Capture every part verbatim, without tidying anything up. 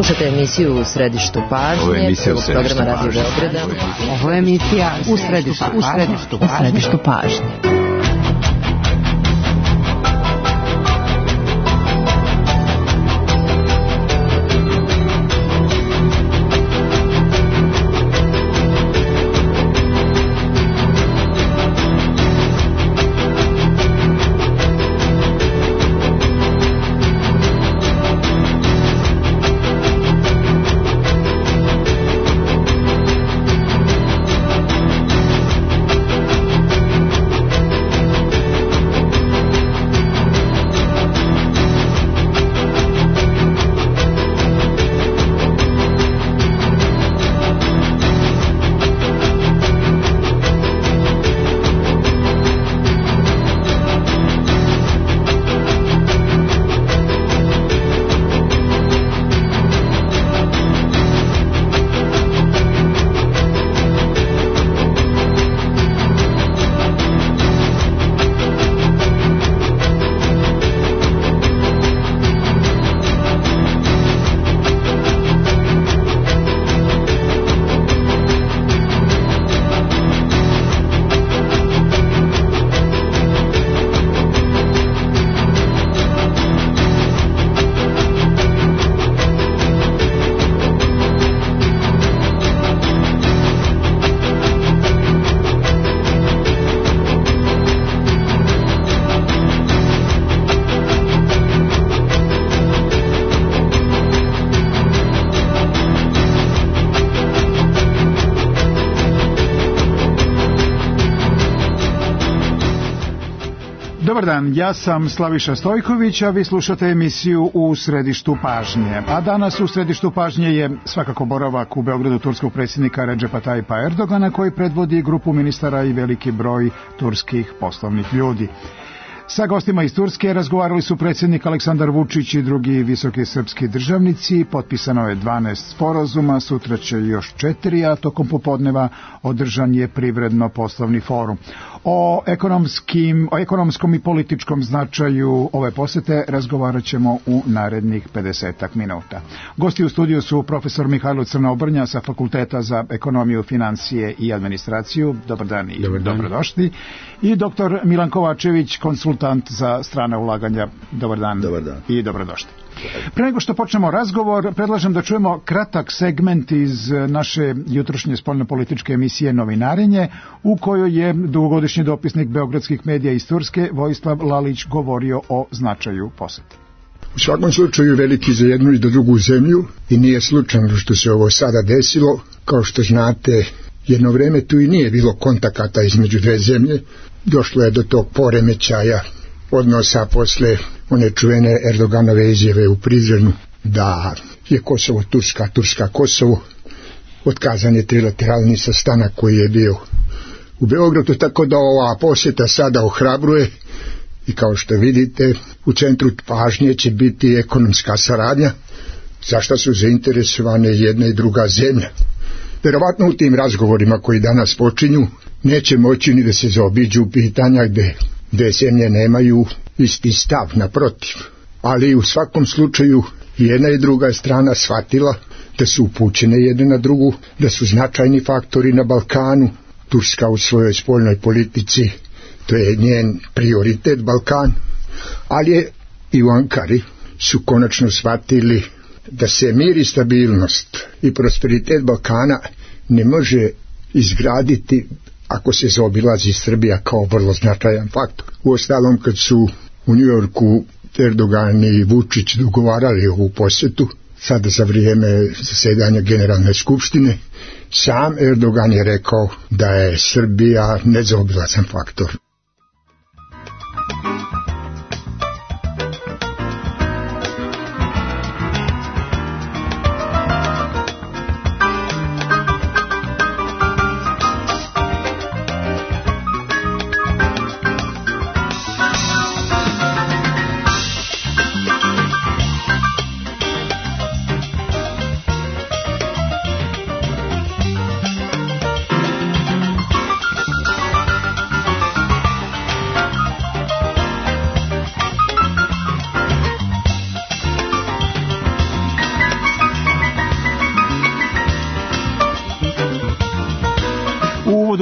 Slušate emisiju U središtu pažnje, prvog programa Radio Beograda. Ovo je emisija U središtu pažnje. U središtu pažnje. Dobar dan, ja sam Slaviša Stojković, a vi slušate emisiju U središtu pažnje. A danas u središtu pažnje je svakako boravak u Beogradu turskog predsjednika Redžepa Tajipa Erdogana, koji predvodi grupu ministara i veliki broj turskih poslovnih ljudi. Sa gostima iz Turske razgovarali su predsjednik Aleksandar Vučić i drugi visoki srpski državnici. Potpisano je dvanaest sporazuma, sutra će još četiri, a tokom popodneva održan je privredno-poslovni forum. O, ekonomskim, o ekonomskom i političkom značaju ove posete razgovarat ćemo u narednih pedesetak minuta. Gosti u studiju su profesor Mihajlo Crnobrnja sa Fakulteta za ekonomiju, financije i administraciju. Dobar dan i Dobar dan. Dobrodošli. I doktor Milan Kovačević, konsultant za strana ulaganja. Dobar dan, Dobar dan. I dobrodošli. Pre nego što počnemo razgovor, predlažem da čujemo kratak segment iz naše jutrošnje spoljnopolitičke emisije Novinarenje, u kojoj je dugogodišnji dopisnik beogradskih medija iz Turske Vojislav Lalić govorio o značaju posete. U svakom slučaju veliki za jednu i za drugu zemlju i nije slučajno što se ovo sada desilo. Kao što znate, jedno vreme tu i nije bilo kontakata između dve zemlje. Došlo je do tog poremećaja odnosa posle one čuvene Erdoganove izjave u Prizrenu da je Kosovo Turska, Turska Kosovo. Otkazan je trilateralni sastanak koji je bio u Beogradu, tako da ova posjeta sada ohrabruje i kao što vidite u centru pažnje će biti ekonomska saradnja, za što su zainteresovane jedna i druga zemlja. Verovatno u tim razgovorima koji danas počinju neće moći ni da se zaobiđu pitanja gde dve zemlje nemaju isti stav, naprotiv. Ali u svakom slučaju jedna i druga strana shvatila da su upućene jedna na drugu, da su značajni faktori na Balkanu. Turska u svojoj spoljnoj politici, to je njen prioritet Balkan, ali je i u Ankari su konačno shvatili da se mir i stabilnost i prosperitet Balkana ne može izgraditi ako se zaobilazi Srbija kao vrlo značajan faktor. Uostalom, kad su u Njujorku Erdogan i Vučić dogovarali ovu posjetu, sada za vrijeme zasedanja Generalne skupštine, sam Erdogan je rekao da je Srbija nezaobilazan faktor.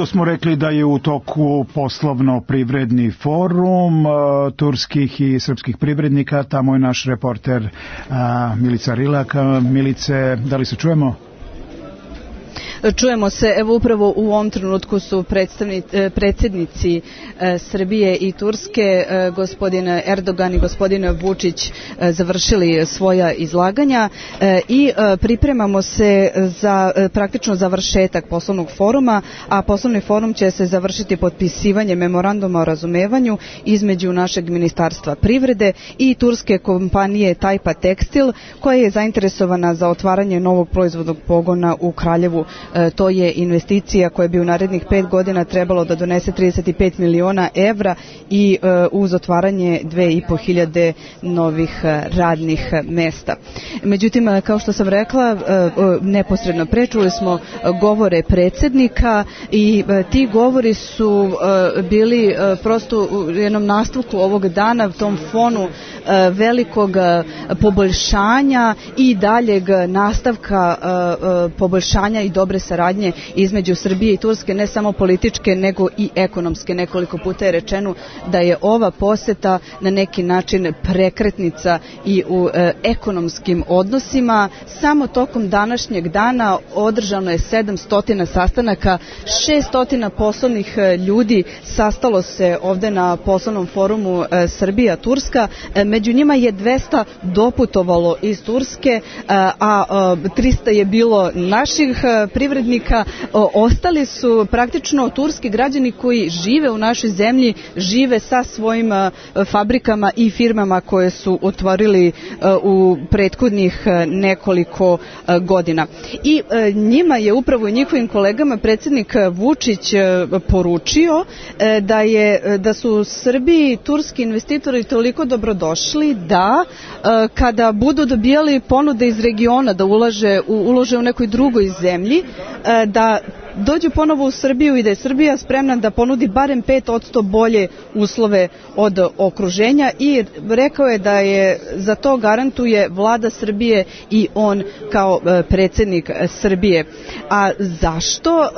smo rekli da je u toku poslovno-privredni forum uh, turskih i srpskih privrednika. Tamo je naš reporter uh, Milica Rilak. Milice, da li se čujemo? Čujemo se, evo upravo u ovom trenutku su predsjednici Srbije i Turske, gospodin Erdogan i gospodin Vučić, završili svoja izlaganja i pripremamo se za praktično završetak poslovnog foruma, a poslovni forum će se završiti potpisivanjem memoranduma o razumevanju između našeg ministarstva privrede i turske kompanije Tajpa Tekstil, koja je zainteresovana za otvaranje novog proizvodnog pogona u Kraljevu. To je investicija koja bi u narednih pet godina trebalo da donese trideset pet miliona evra i uz otvaranje dve i po hiljade novih radnih mesta. Međutim, kao što sam rekla, neposredno prečuli smo govore predsjednika i ti govori su bili prosto u jednom nastavku ovog dana, u tom fonu velikog poboljšanja i daljeg nastavka poboljšanja i dobre saradnje između Srbije i Turske, ne samo političke nego i ekonomske. Nekoliko puta je rečeno da je ova poseta na neki način prekretnica i u e, ekonomskim odnosima. Samo tokom današnjeg dana održano je sedamsto sastanaka, šesto poslovnih ljudi sastalo se ovde na poslovnom forumu e, Srbija-Turska. E, među njima je dvesta doputovalo iz Turske, e, a e, trista je bilo naših privrednika. Ostali su praktično turski građani koji žive u našoj zemlji, žive sa svojim fabrikama i firmama koje su otvorili u prethodnih nekoliko godina. I njima je upravo i njihovim kolegama predsjednik Vučić poručio da je da su Srbiji turski investitori toliko dobrodošli da kada budu dobijali ponude iz regiona da ulaže u, ulože u nekoj drugoj zemlji, da dođu ponovo u Srbiju i da je Srbija spremna da ponudi barem pet posto bolje uslove od okruženja, i rekao je da je za to garantuje vlada Srbije i on kao predsjednik Srbije. A zašto?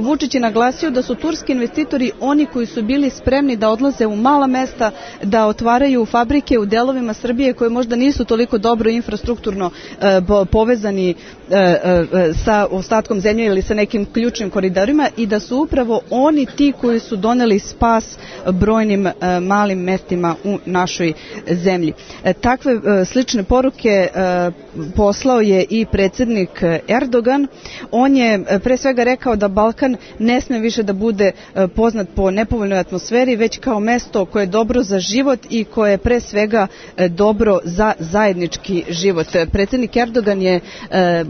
Vučić je naglasio da su turski investitori oni koji su bili spremni da odlaze u mala mesta, da otvaraju fabrike u delovima Srbije koje možda nisu toliko dobro infrastrukturno povezani sa ostatkom zemlje ili sa nekim ključnim koridorima, i da su upravo oni ti koji su doneli spas brojnim e, malim mestima u našoj zemlji. E, takve e, slične poruke e, poslao je i predsjednik Erdogan. On je e, pre svega rekao da Balkan ne sme više da bude e, poznat po nepovoljnoj atmosferi, već kao mesto koje je dobro za život i koje je pre svega e, dobro za zajednički život. Predsjednik Erdogan je e,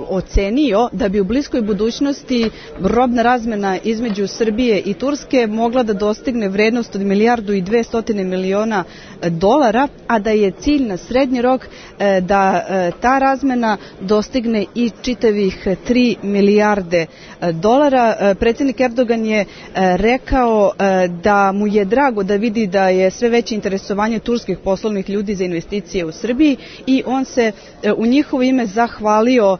ocenio da bi u bliskoj budućnosti robna razmena između Srbije i Turske mogla da dostigne vrednost od milijardu i dvestotine miliona dolara, a da je cilj na srednji rok da ta razmena dostigne i čitavih tri milijarde dolara. Predsjednik Erdogan je rekao da mu je drago da vidi da je sve veće interesovanje turskih poslovnih ljudi za investicije u Srbiji, i on se u njihovo ime zahvalio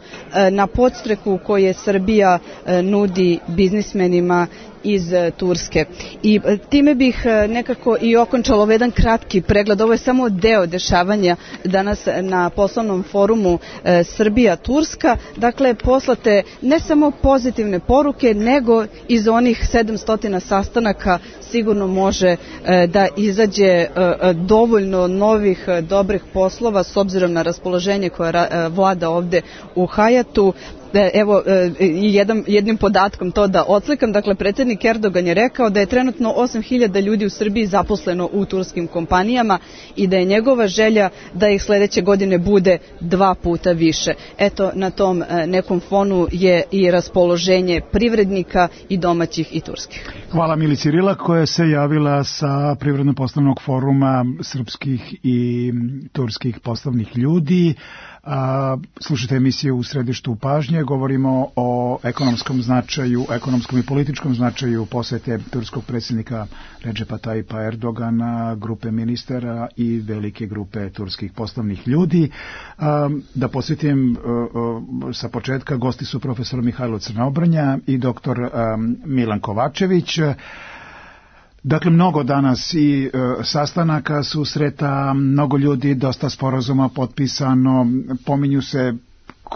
na podstreku koje Srbija nudi biznismenima iz Turske. I time bih nekako i okončala ovaj jedan kratki pregled. Ovo je samo deo dešavanja danas na poslovnom forumu Srbija-Turska. Dakle, poslate ne samo pozitivne poruke, nego iz onih sedamsto sastanaka sigurno može da izađe dovoljno novih dobrih poslova s obzirom na raspoloženje koje vlada ovde u Hajatu. Evo, jedan, jednim podatkom to da odslikam. Dakle, predsjednik Erdogan je rekao da je trenutno osam hiljada ljudi u Srbiji zaposleno u turskim kompanijama i da je njegova želja da ih sljedeće godine bude dva puta više. Eto, na tom nekom fonu je i raspoloženje privrednika i domaćih i turskih. Hvala Milici Rilak koja se javila sa Privredno-poslovnog foruma srpskih i turskih poslovnih ljudi. A, slušajte emisiju U središtu pažnje, govorimo o ekonomskom značaju, ekonomskom i političkom značaju posete turskog predsjednika Redžepa Tajipa Erdogana, grupe ministara i velike grupe turskih poslovnih ljudi. A, da posjetim a, a, sa početka, gosti su profesor Mihajlo Crnobrnja i doktor a, Milan Kovačević. Dakle, mnogo danas i e, sastanaka, susreta, mnogo ljudi, dosta sporazuma potpisano, pominju se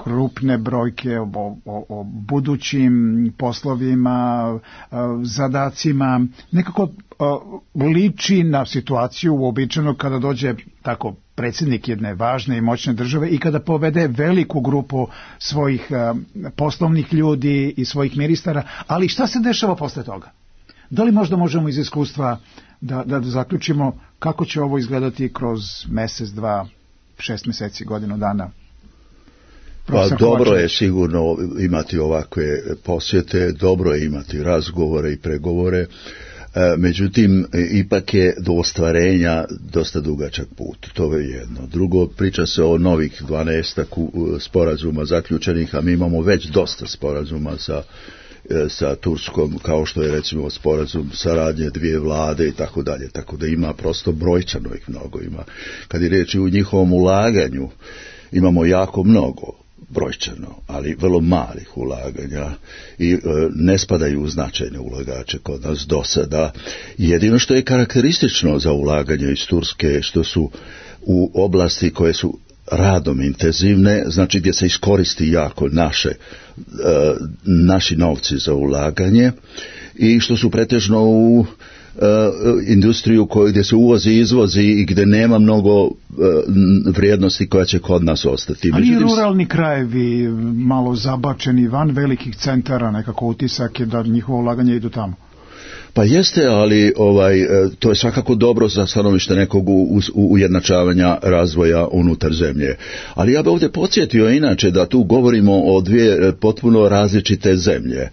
krupne brojke o, o, o budućim poslovima, e, zadacima. Nekako e, liči na situaciju uobičajeno kada dođe tako predsjednik jedne važne i moćne države i kada povede veliku grupu svojih e, poslovnih ljudi i svojih ministara, ali šta se dešava posle toga? Da li možda možemo iz iskustva da, da zaključimo kako će ovo izgledati kroz mjesec, dva, šest mjeseci, godinu dana? Pa dobro je sigurno imati ovakve posjete, dobro je imati razgovore i pregovore, međutim ipak je do ostvarenja dosta dugačak put, to je jedno. Drugo, priča se o novih dvanaestak sporazuma zaključenih, a mi imamo već dosta sporazuma sa sa Turskom, kao što je recimo sporazum saradnje dvije vlade i tako dalje, tako da ima prosto brojčano ih mnogo ima. Kad je riječ u njihovom ulaganju, imamo jako mnogo brojčano, ali vrlo malih ulaganja i e, ne spadaju u značajne ulagače kod nas do sada. Jedino što je karakteristično za ulaganje iz Turske, što su u oblasti koje su radom intenzivne, znači gdje se iskoristi jako naše, e, naši novci za ulaganje i što su pretežno u e, industriju koju gdje se uvozi i izvozi i gdje nema mnogo e, vrijednosti koja će kod nas ostati. Ali i ruralni krajevi malo zabačeni van velikih centara, nekako utisak je da njihovo ulaganje idu tamo. Pa jeste, ali ovaj, to je svakako dobro za stanovište nekog ujednačavanja razvoja unutar zemlje. Ali ja bih ovdje podsjetio inače da tu govorimo o dvije potpuno različite zemlje. E,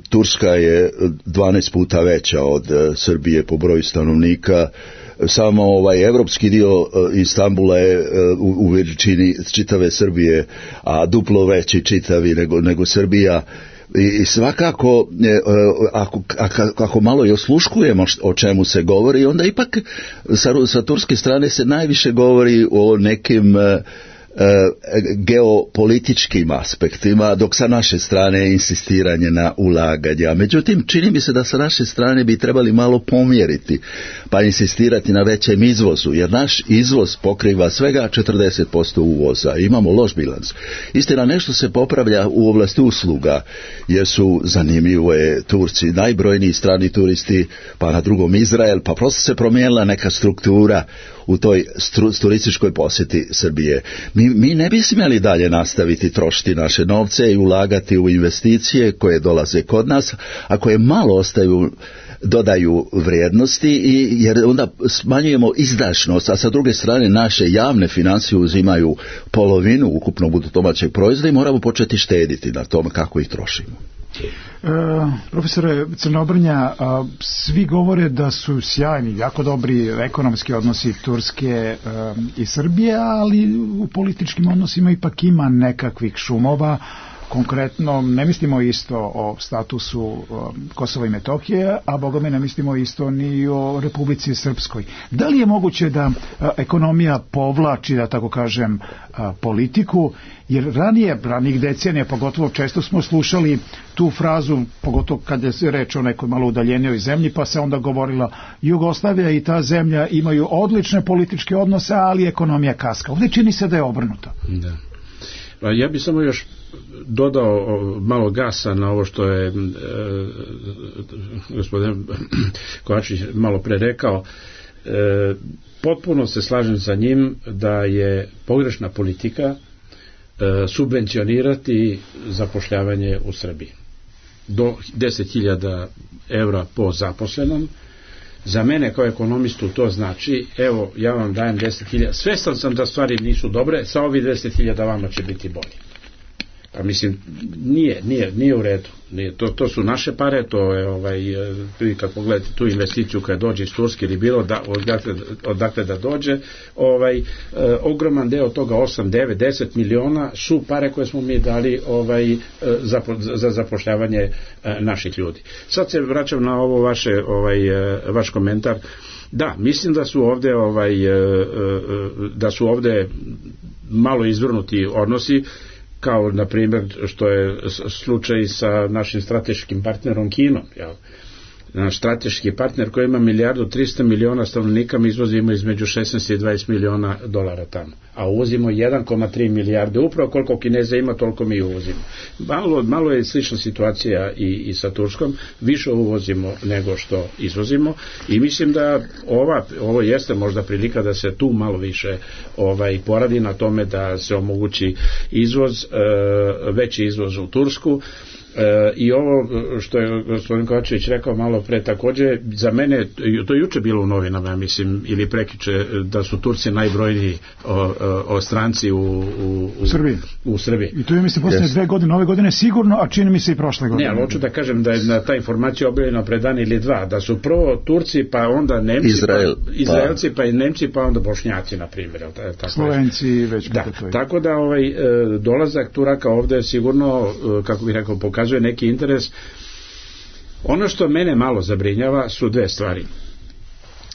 Turska je dvanaest puta veća od Srbije po broju stanovnika. Samo ovaj evropski dio Istanbula je u, u veličini čitave Srbije, a duplo veći čitavi nego, nego Srbija. I svakako, ako, ako, ako malo i osluškujemo o čemu se govori, onda ipak sa, sa turske strane se najviše govori o nekim geopolitičkim aspektima, dok sa naše strane je insistiranje na ulaganja. Međutim, čini mi se da sa naše strane bi trebali malo pomjeriti, pa insistirati na većem izvozu, jer naš izvoz pokriva svega četrdeset posto uvoza. Imamo loš bilans. Istina, nešto se popravlja u oblasti usluga, jer su zanimljive Turci, najbrojniji strani turisti, pa na drugom Izrael, pa prosto se promijenila neka struktura u toj stru, turističkoj posjeti Srbije. Mi, mi ne bi smjeli dalje nastaviti trošiti naše novce i ulagati u investicije koje dolaze kod nas, a koje malo ostaju, dodaju vrijednosti, i, jer onda smanjujemo izdašnost, a sa druge strane naše javne financije uzimaju polovinu ukupnog bruto domaćeg proizvoda i moramo početi štediti na tome kako ih trošimo. E, profesore Crnobrnja, a, svi govore da su sjajni, jako dobri ekonomski odnosi Turske e, i Srbije, ali u političkim odnosima ipak ima nekakvih šumova. Konkretno, ne mislimo isto o statusu Kosova i Metohije, a bogome ne mislimo isto ni o Republici Srpskoj. Da li je moguće da ekonomija povlači, da tako kažem, politiku, jer ranije, ranih decenija, pogotovo često smo slušali tu frazu, pogotovo kad je reč o nekoj malo udaljenijoj zemlji, pa se onda govorila Jugoslavija i ta zemlja imaju odlične političke odnose, ali ekonomija kaska. Ovdje čini se da je obrnuto. Da. Ja bih samo još dodao malo gasa na ovo što je e, gospodin Kovačić malo pre rekao. E, potpuno se slažem sa njim da je pogrešna politika e, subvencionirati zapošljavanje u Srbiji. Do deset hiljada evra po zaposlenom. Za mene kao ekonomistu to znači, evo, ja vam dajem deset hiljada, svestan sam da stvari nisu dobre, sa ovih deset hiljada vama će biti bolje. Pa mislim, nije, nije, nije u redu. Nije, to, to su naše pare, to je, ovaj, kad pogledate tu investiciju koja dođe iz Turske ili bilo da, odakle, odakle da dođe, ovaj, eh, ogroman deo toga, osam, devet, deset miliona su pare koje smo mi dali ovaj, za, za zapošljavanje eh, naših ljudi. Sad se vraćam na ovo vaše, ovaj, eh, vaš komentar. Da, mislim da su ovde, ovaj, eh, eh, da su ovde malo izvrnuti odnosi, kao na primjer što je slučaj sa našim strateškim partnerom Kinom. Jel? Naš strateški partner koji ima milijardu trista miliona stanovnika, mi izvozimo između šesnaest i dvadeset miliona dolara tamo, a uvozimo jedan zarez tri milijarde, upravo koliko Kineza ima toliko mi uvozimo. Malo, malo je slična situacija i, i sa Turskom, više uvozimo nego što izvozimo i mislim da ova, ovo jeste možda prilika da se tu malo više ovaj, poradi na tome da se omogući izvoz, veći izvoz u Tursku. E, i ovo što je gospodin Kovačević rekao malo pre, takođe za mene, to je juče bilo u novinama, mislim, ili prekiče, da su Turci najbrojniji o, o, o stranci u, u, u, Srbiji. u Srbiji. I to je, mislim, posljednje yes. dve godine, ove godine sigurno, a čini mi se i prošle godine. Ne, ali hoću da kažem da je na ta informacija objavljena pre dan ili dva, da su prvo Turci, pa onda Nemci, Izrael, pa, Izraelci, pa. pa i Nemci, pa onda Bošnjaci, na primjer. Slovenci je. Već da, kako to je. Tako da ovaj, dolazak Turaka ovde sigurno, kako bih rekao, pokazuje neki interes. Ono što mene malo zabrinjava su dve stvari.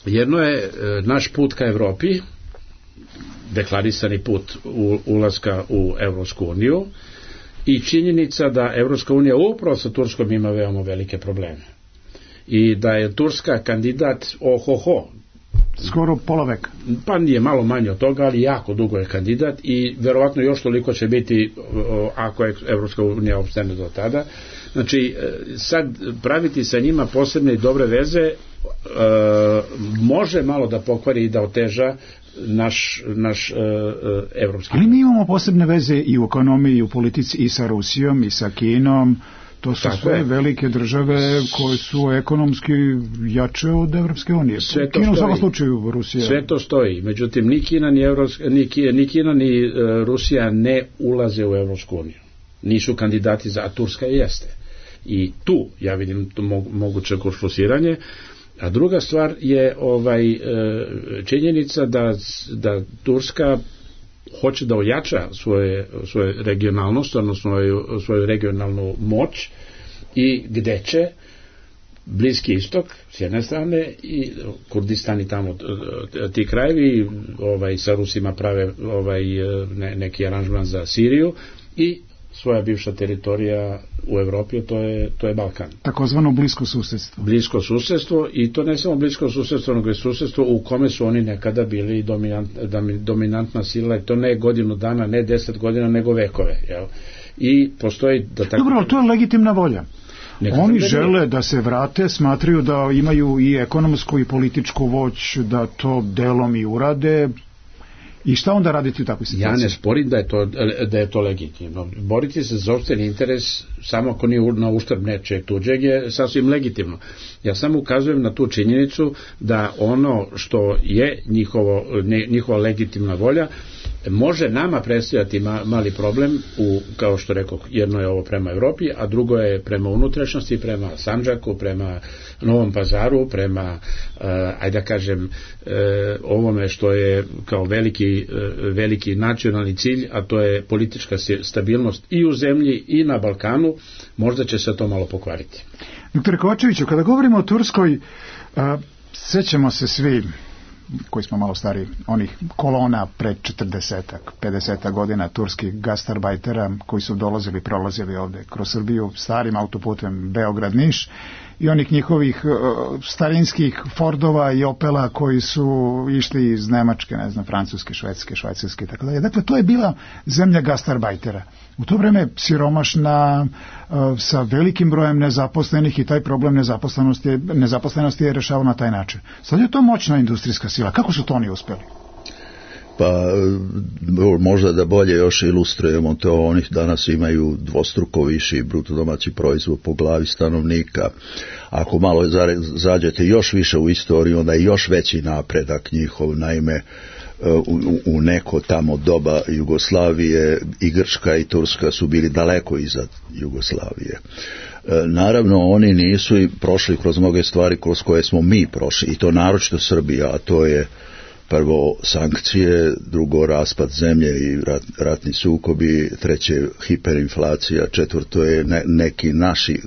Jedno je naš put ka Evropi, deklarisani put ulaska u Evropsku uniju, i činjenica da Evropska unija upravo sa Turskom ima veoma velike probleme. I da je Turska kandidat ohoho, skoro pola veka. Pa nije, malo manje od toga, ali jako dugo je kandidat i verovatno još toliko će biti ako je Evropska unija opstane do tada. Znači, sad praviti sa njima posebne i dobre veze e, može malo da pokvari i da oteža naš, naš e, evropski. Ali mi imamo posebne veze i u ekonomiji, i u politici, i sa Rusijom, i sa Kinom. To su tako sve je. Velike države koje su ekonomski jače od Evropske unije. Sve to Kina stoji. U svakom slučaju Rusija. Sve to stoji. Međutim, ni Kina, ni, Evropska, ni, ni, Kina, ni uh, Rusija ne ulaze u Evropsku uniju. Nisu kandidati za, a Turska jeste. I tu ja vidim to mo, moguće konflusiranje. A druga stvar je ovaj, uh, činjenica da, da Turska hoće da ojača svoje, svoje regionalnost, odnosno svoju, svoju regionalnu moć, i gde će Bliski istok s jedne strane i Kurdistan i tamo ti krajevi ovaj, sa Rusima prave ovaj, ne, neki aranžman za Siriju, i svoja bivša teritorija u Evropi, to je, to je Balkan. Takozvano blisko susedstvo. Blisko susedstvo, i to ne samo blisko susedstvo, nego je susedstvo u kome su oni nekada bili dominant, dominantna sila, i to ne godinu dana, ne deset godina, nego vekove. Jel? I postoji da tako... Dobro, ali to je legitimna volja. Nekada oni žele da se vrate, smatraju da imaju i ekonomsku i političku moć da to delom i urade. I šta onda raditi u takvoj situaciji? Ja ne sporim da je to, da je to legitimno. Boriti se za sopstveni interes samo ako nije na uštrb nečeg tuđeg je sasvim legitimno. Ja samo ukazujem na tu činjenicu da ono što je njihovo, ne, njihova legitimna volja može nama predstavljati ma, mali problem u, kao što rekao, jedno je ovo prema Evropi, a drugo je prema unutrašnjosti, prema Sandžaku, prema Novom Pazaru, prema uh, ajde da kažem uh, ovome što je kao veliki, uh, veliki nacionalni cilj, a to je politička stabilnost i u zemlji i na Balkanu. Možda će se to malo pokvariti. Doktor Kovačeviću, kada govorimo o Turskoj, uh, sećamo se svi koji smo malo stari, onih kolona pred četrdesetak, pedesetak godina turskih gastarbajtera koji su dolazili, prolazili ovde kroz Srbiju starim autoputem Beograd-Niš, i onih njihovih uh, starinskih Fordova i Opela koji su išli iz Nemačke, ne znam, Francuske, Švedske, Švajcarske i tako dalje. Dakle, to je bila zemlja gastarbajtera. U to vreme siromašna, uh, sa velikim brojem nezaposlenih, i taj problem nezaposlenosti, nezaposlenosti je rešavao na taj način. Sad je to moćna industrijska sila. Kako su to oni uspeli? Pa možda da bolje još ilustrujemo to, oni danas imaju dvostruko viši bruto domaći proizvod po glavi stanovnika. Ako malo zađete još više u istoriju, onda je još veći napredak njihov. Naime, u, u neko tamo doba Jugoslavije i Grčka i Turska su bili daleko iza Jugoslavije. Naravno, oni nisu i prošli kroz mnoge stvari kroz koje smo mi prošli, i to naročito Srbija, a to je prvo sankcije, drugo raspad zemlje i rat, ratni sukobi, treće hiperinflacija, četvrto je ne, neki naši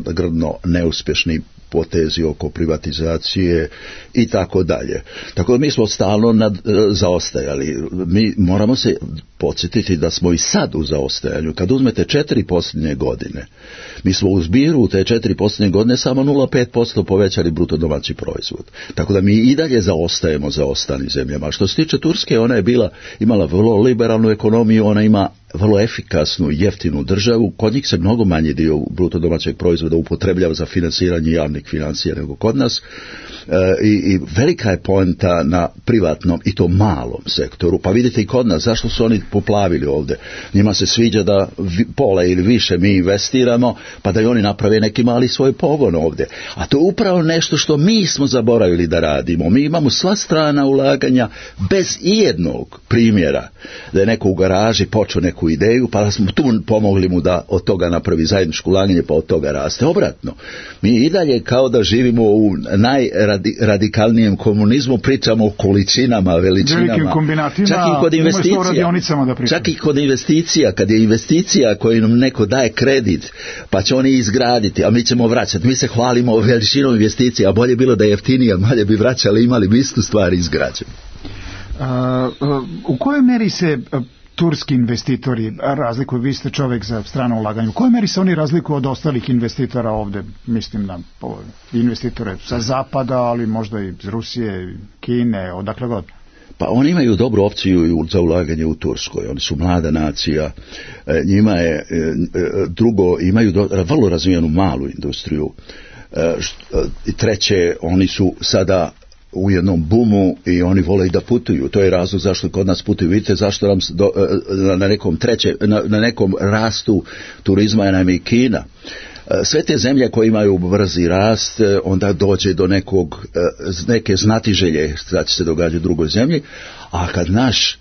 grdno neuspješni potezi oko privatizacije i tako dalje. Tako da mi smo stalno nad, zaostajali. Mi moramo se podsjetiti da smo i sad u zaostajanju. Kad uzmete četiri posljednje godine, mi smo u zbiru u te četiri posljednje godine samo nula zarez pet posto povećali bruto domaći proizvod. Tako da mi i dalje zaostajemo za ostalim zemljama. Što se tiče Turske, ona je bila, imala vrlo liberalnu ekonomiju, ona ima vrlo efikasnu i jeftinu državu. Kod njih se mnogo manji dio bruto domaćeg proizvoda upotrebljava za finansiranje javnih financija nego kod nas. E, i, i velika je poenta na privatnom i to malom sektoru. Pa vidite i kod nas, zašto su oni poplavili ovdje? Njima se sviđa da vi, pola ili više mi investiramo, pa da i oni naprave neki mali svoj pogon ovdje. A to je upravo nešto što mi smo zaboravili da radimo. Mi imamo sva strana ulaganja bez ijednog primjera da je neko u garaži počeo neku ideju, pa da smo tu pomogli mu da od toga napravi zajedničko ulaganje, pa od toga raste. Obratno, mi i dalje kao da živimo u najradikalnijem komunizmu, pričamo o količinama, veličinama, čak i kod investicija, čak i kod investicija, kad je investicija koju nam neko daje kredit, pa će oni izgraditi, a mi ćemo vraćati. Mi se hvalimo veličinom investicija, a bolje bilo da je jeftinije, bolje bi vraćali, imali bi istu stvar izgrađenu. Uh, uh, u kojoj meri se uh, turski investitori razlikuju, vi ste čovjek za strano ulaganje, u kojoj meri se oni razlikuju od ostalih investitora ovdje, mislim na investitore sa zapada, ali možda i iz Rusije, Kine, odakle god? Pa oni imaju dobru opciju za ulaganje u Turskoj, oni su mlada nacija, njima je drugo, imaju do, vrlo razvijenu malu industriju, i treće, oni su sada u jednom bumu i oni vole i da putuju. To je razlog zašto kod nas putuju. Vidite zašto nam do, na nekom treće, na, na nekom rastu turizma je nam i Kina. Sve te zemlje koje imaju brzi rast, onda dođe do nekog, neke znatiželje šta će se događati u drugoj zemlji, a kad naš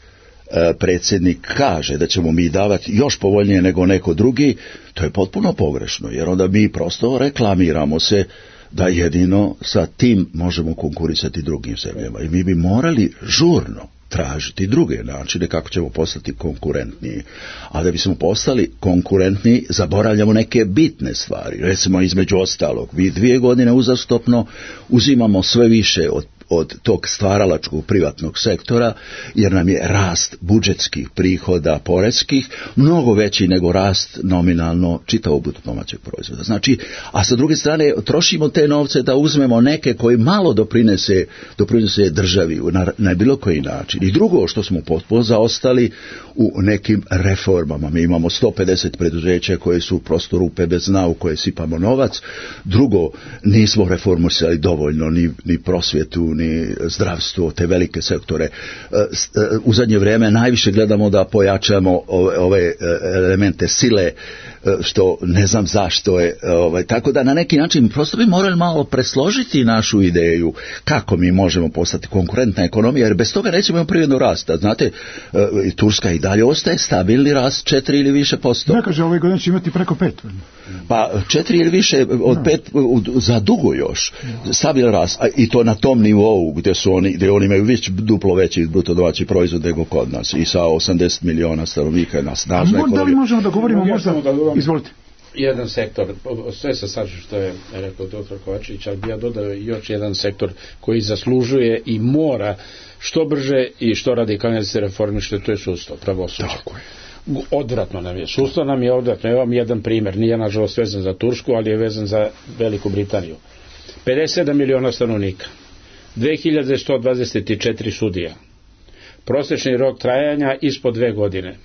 predsjednik kaže da ćemo mi davati još povoljnije nego neko drugi, to je potpuno pogrešno, jer onda mi prosto reklamiramo se da jedino sa tim možemo konkurisati drugim zemljama. I mi bi morali žurno tražiti druge načine kako ćemo postati konkurentniji. A da bismo postali konkurentniji, zaboravljamo neke bitne stvari. Recimo, između ostalog, mi dvije godine uzastopno uzimamo sve više od od tog stvaralačkog privatnog sektora, jer nam je rast budžetskih prihoda poreskih mnogo veći nego rast nominalno čitavog bruto domaćeg proizvoda. Znači, a sa druge strane trošimo te novce da uzmemo neke koji malo doprinese, doprinese državi na, na bilo koji način. I drugo što smo potpuno zaostali u nekim reformama. Mi imamo sto pedeset preduzeća koje su prosto rupe bez dna u koje sipamo novac. Drugo, nismo reformisali dovoljno ni, ni prosvjetu, ni zdravstvo, te velike sektore. U zadnje vrijeme najviše gledamo da pojačamo ove, ove elemente sile, što ne znam zašto je. Ovaj, tako da na neki način prosto bi morali malo presložiti našu ideju kako mi možemo postati konkurentna ekonomija, jer bez toga nećemo imati privrednog rasta. Znate, Turska i dalje ostaje stabilni rast četiri ili više posto. Ne kaže, ove godine će imati preko pet. Pa četiri ili više od no. pet za dugo još. No. Stabilan rast, i to na tom nivou gdje su oni, gdje oni imaju već duplo veći bruto domaći proizvod nego kod nas i sa osamdeset miliona stanovnika je na snažna ekonomija. Da li možemo da govorimo možda? Izvolite. Jedan sektor, sve se slažem što je rekao doktor Kovačević, ali bi ja dodao još jedan sektor koji zaslužuje i mora što brže i što radikalnije da se reformiše, to je sudstvo, pravosuđe. Tako je. Odvratno nam je. Sudstvo nam je odvratno. Evo vam jedan primjer. Nije nažalost vezan za Tursku, ali je vezan za Veliku Britaniju. pedeset sedam miliona stanovnika. dve hiljade sto dvadeset četiri sudija. Prosječni rok trajanja ispod dve godine.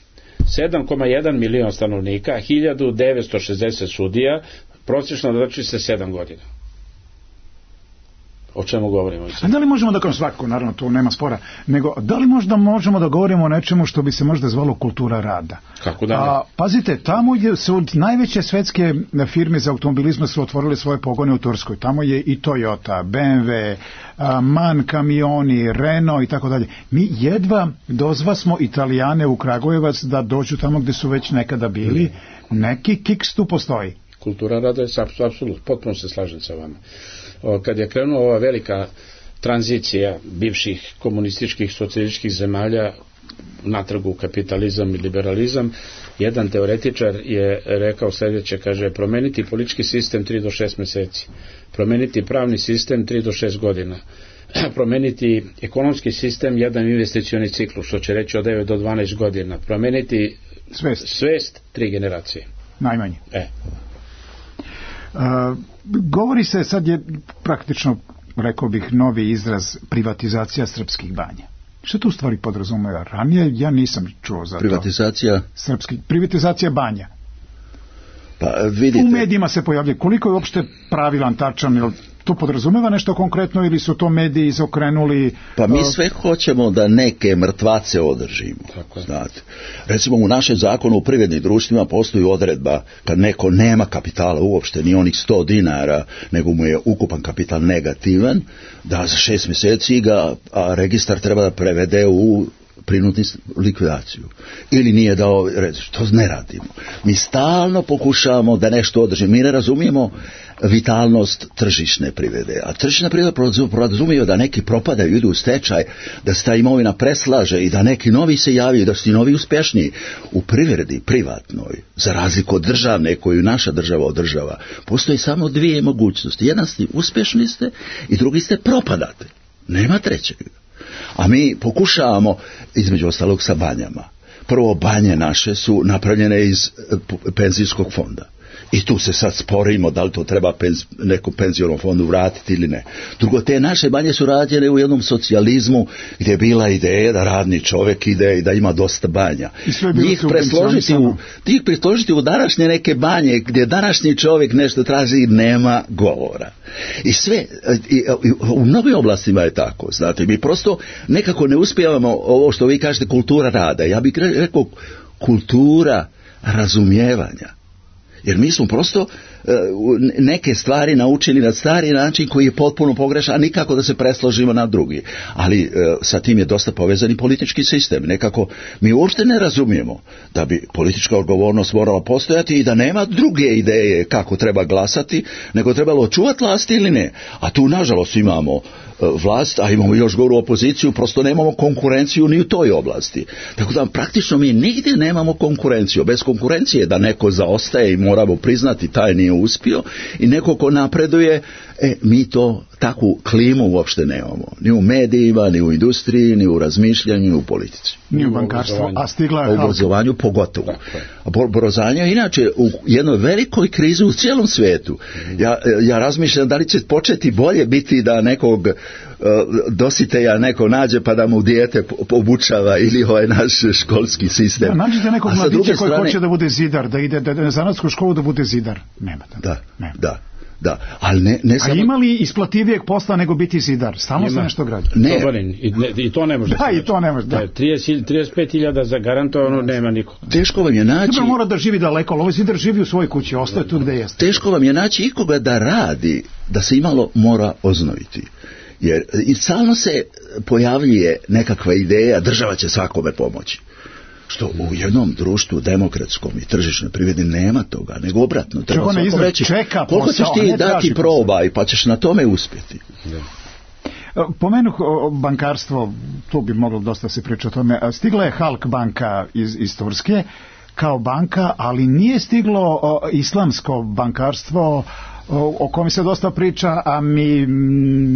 sedam zarez jedan milion stanovnika, hiljadu devetsto šezdeset sudija, prosječno znači se sedam godina. o čemu govorimo. A da li možemo da, kao svako, naravno to nema spora, nego da li možda možemo da govorimo o nečemu što bi se možda zvalo kultura rada? Kako da ne? A, pazite, tamo je, su najveće svetske firme za automobilizma su otvorile svoje pogone u Turskoj. Tamo je i Toyota, B M W, a, MAN kamioni, Renault i tako dalje. Mi jedva dozva smo Italijane u Kragujevac da dođu tamo gde su već nekada bili. Neki kiks tu postoji. Kultura rada je apsolutno, potpuno se slažem sa vama. Kad je krenula ova velika tranzicija bivših komunističkih, socijalističkih zemalja natrag u kapitalizam i liberalizam, jedan teoretičar je rekao sljedeće, kaže, promeniti politički sistem tri do šest meseci, promeniti pravni sistem tri do šest godina, promeniti ekonomski sistem jedan investicioni ciklus, što će reći od devet do dvanaest godina, promeniti svest, svest tri generacije. Najmanje. E. Uh, govori se, sad je praktično, rekao bih, novi izraz privatizacija srpskih banja. Što to u stvari podrazumeva? Ranije ja nisam čuo za privatizacija? to. Srpski, privatizacija banja. Pa vidite. U medijima se pojavlja. Koliko je uopšte pravilan, tačan, ili to podrazumeva nešto konkretno ili su to mediji izokrenuli? Pa mi sve hoćemo da neke mrtvace održimo. Znate. Recimo u našem zakonu u privrednim društvima postoji odredba kad neko nema kapitala uopšte, ni onih sto dinara, nego mu je ukupan kapital negativan, da za šest mjeseci ga a registar treba da prevede u prinudnu likvidaciju. Ili nije dao, to ne radimo. Mi stalno pokušavamo da nešto održimo. Mi ne razumijemo vitalnost tržišne privrede. A tržišna privreda podrazumijeva da neki propadaju, idu u stečaj, da se ta imovina preslaže i da neki novi se javljaju, da su ti novi uspješniji. U privredi, privatnoj, za razliku od državne koju naša država održava, postoji samo dvije mogućnosti. Jedan ste uspješni ste i drugi ste propadate. Nema trećeg. A mi pokušavamo, između ostalog, sa banjama. Prvo, banje naše su napravljene iz penzijskog fonda. I tu se sad sporimo da li to treba penz, nekom penzionom fondu vratiti ili ne. Drugo, te naše banje su rađene u jednom socijalizmu gdje je bila ideja da radni čovjek ide i da ima dosta banja. Njih presložiti, u, njih presložiti u današnje neke banje gdje današnji čovjek nešto traži, nema govora. I sve, i, i, u mnogim oblastima je tako, znate, mi prosto nekako ne uspijevamo ovo što vi kažete kultura rada. Ja bih rekao kultura razumijevanja. Jer mi smo prosto uh, neke stvari naučili na stari način koji je potpuno pogrešan, a nikako da se presložimo na drugi. Ali uh, sa tim je dosta povezan i politički sistem. Nekako mi uopšte ne razumijemo da bi politička odgovornost morala postojati i da nema druge ideje kako treba glasati, nego trebalo čuvati vlast ili ne. A tu nažalost imamo uh, vlast, a imamo još goru opoziciju, prosto nemamo konkurenciju ni u toj oblasti. Tako da praktično mi nigdje nemamo konkurenciju. Bez konkurencije da neko zaostaje i moramo priznati taj nije uspio i neko ko napreduje, e, mi to takvu klimu uopšte nemamo. Ni u medijima, ni u industriji, ni u razmišljanju, ni u politici. Ni u bankarstvu, a stigla je... U obrazovanju pogotovo. A obrazovanje je inače u jednoj velikoj krizi u cijelom svijetu. Ja, ja razmišljam da li će početi bolje biti da nekog uh, dositelja neko nađe pa da mu dijete obučava ili ovaj naš školski sistem. Da, nađete nekog mladića koji strane... hoće da bude zidar, da ide da, da, na zanatsku školu da bude zidar. Nema da. Da, Nema. da. Da, ali ne, ne samo... A ima li isplativijeg posla nego biti zidar? Stalno se nešto građa. Ne. Dobarin, i, ne, i to ne može. Da, i to ne može. Da. trideset, trideset pet hiljada zagarantovano, nema nikog. Teško vam je naći... Treba mora da živi daleko, ali ovaj zidar živi u svojoj kući, ostaje tu gde jeste. Teško vam je naći ikoga da radi, da se imalo mora oznojiti. Jer i stalno se pojavljuje nekakva ideja, država će svakome pomoći. Što u jednom društvu demokratskom i tržišnoj privredi nema toga, nego obratno. Treba svakom reći, koliko ćeš ti dati probaj, pa ćeš na tome uspjeti. Pomenuh bankarstvo, tu bi moglo dosta se pričati o tome. Stigla je Halk banka iz, iz Turske kao banka, ali nije stiglo o, islamsko bankarstvo o, o kojem se dosta priča, a mi